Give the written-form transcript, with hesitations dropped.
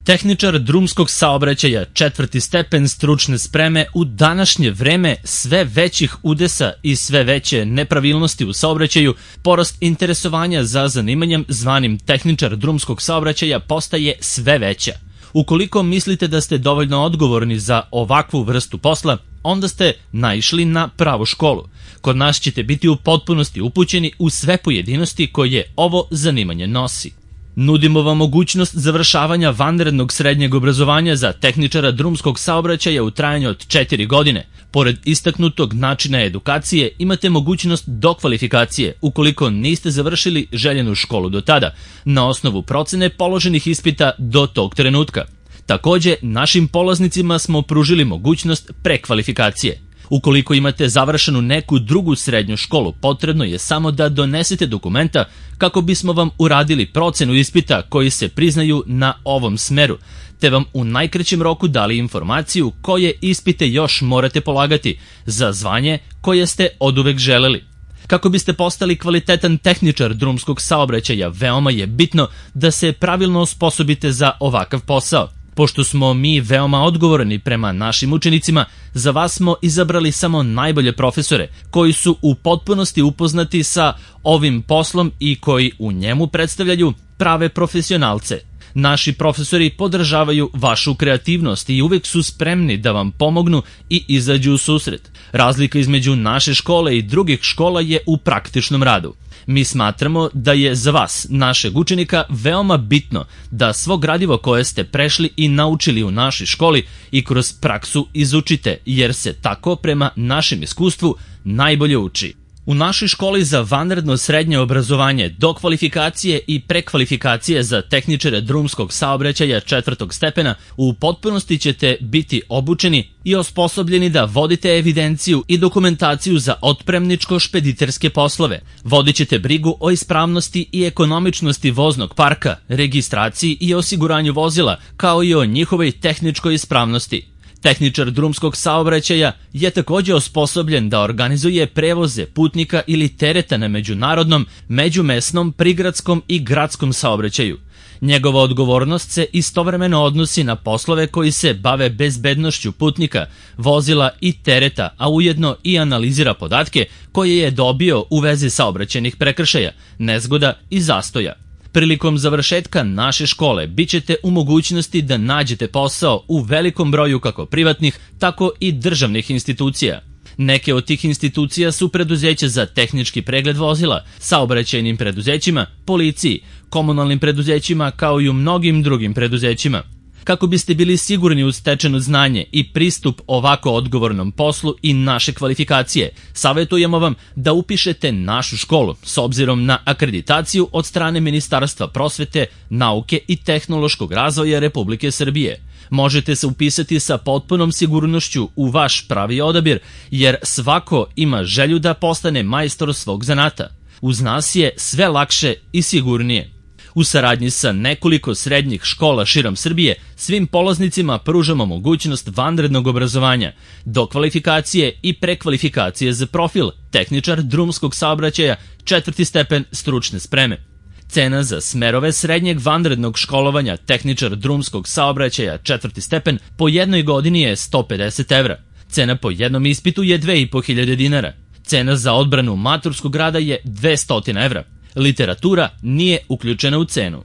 Tehničar drumskog saobraćaja, 4. stepen stručne spreme, u današnje vreme sve većih udesa i sve veće nepravilnosti u saobraćaju, porast interesovanja za zanimanjem zvanim tehničar drumskog saobraćaja postaje sve veća. Ukoliko mislite da ste dovoljno odgovorni za ovakvu vrstu posla, onda ste naišli na pravu školu. Kod nas ćete biti u potpunosti upućeni u sve pojedinosti koje ovo zanimanje nosi. Nudimo vam mogućnost završavanja vanrednog srednjeg obrazovanja za tehničara drumskog saobraćaja u trajanju od 4 godine. Pored istaknutog načina edukacije, imate mogućnost dokvalifikacije ukoliko niste završili željenu školu do tada, na osnovu procene položenih ispita do tog trenutka. Takođe, našim polaznicima smo pružili mogućnost prekvalifikacije. Ukoliko imate završenu neku drugu srednju školu, potrebno je samo da donesete dokumenta kako bismo vam uradili procenu ispita koji se priznaju na ovom smeru, te vam u najkraćem roku dali informaciju koje ispite još morate polagati za zvanje koje ste oduvek želeli. Kako biste postali kvalitetan tehničar drumskog saobraćaja, veoma je bitno da se pravilno osposobite za ovakav posao. Pošto smo mi veoma odgovorni prema našim učenicima, za vas smo izabrali samo najbolje profesore koji su u potpunosti upoznati sa ovim poslom i koji u njemu predstavljaju prave profesionalce. Naši profesori podržavaju vašu kreativnost i uvek su spremni da vam pomognu i izađu u susret. Razlika između naše škole i drugih škola je u praktičnom radu. Mi smatramo da je za vas, našeg učenika, veoma bitno da svo gradivo koje ste prešli i naučili u našoj školi i kroz praksu izučite, jer se tako prema našem iskustvu najbolje uči. U našoj školi za vanredno srednje obrazovanje, dokvalifikacije i prekvalifikacije za tehničare drumskog saobraćaja 4. stepena u potpunosti ćete biti obučeni i osposobljeni da vodite evidenciju i dokumentaciju za otpremničko-špediterske poslove. Vodit ćete brigu o ispravnosti i ekonomičnosti voznog parka, registraciji i osiguranju vozila, kao i o njihovoj tehničkoj ispravnosti. Tehničar drumskog saobraćaja je takođe osposobljen da organizuje prevoze putnika ili tereta na međunarodnom, međumesnom, prigradskom i gradskom saobraćaju. Njegova odgovornost se istovremeno odnosi na poslove koji se bave bezbednošću putnika, vozila i tereta, a ujedno i analizira podatke koje je dobio u vezi saobraćajnih prekršaja, nezgoda i zastoja. Prilikom završetka naše škole bit ćete u mogućnosti da nađete posao u velikom broju kako privatnih, tako i državnih institucija. Neke od tih institucija su preduzeća za tehnički pregled vozila, saobraćajnim preduzećima, policiji, komunalnim preduzećima kao i u mnogim drugim preduzećima. Kako biste bili sigurni u stečeno znanje i pristup ovako odgovornom poslu i naše kvalifikacije, savjetujemo vam da upišete našu školu s obzirom na akreditaciju od strane Ministarstva prosvete, nauke i tehnološkog razvoja Republike Srbije. Možete se upisati sa potpunom sigurnošću u vaš pravi odabir, jer svako ima želju da postane majstor svog zanata. Uz nas je sve lakše i sigurnije. U saradnji sa nekoliko srednjih škola širom Srbije, svim polaznicima pružamo mogućnost vanrednog obrazovanja, dokvalifikacije i prekvalifikacije za profil tehničar drumskog saobraćaja 4. stepen stručne spreme. Cena za smerove srednjeg vanrednog školovanja tehničar drumskog saobraćaja 4. stepen po jednoj godini je 150 evra. Cena po jednom ispitu je 2500 dinara. Cena za odbranu maturskog rada je 200 evra. Literatura nije uključena u cenu.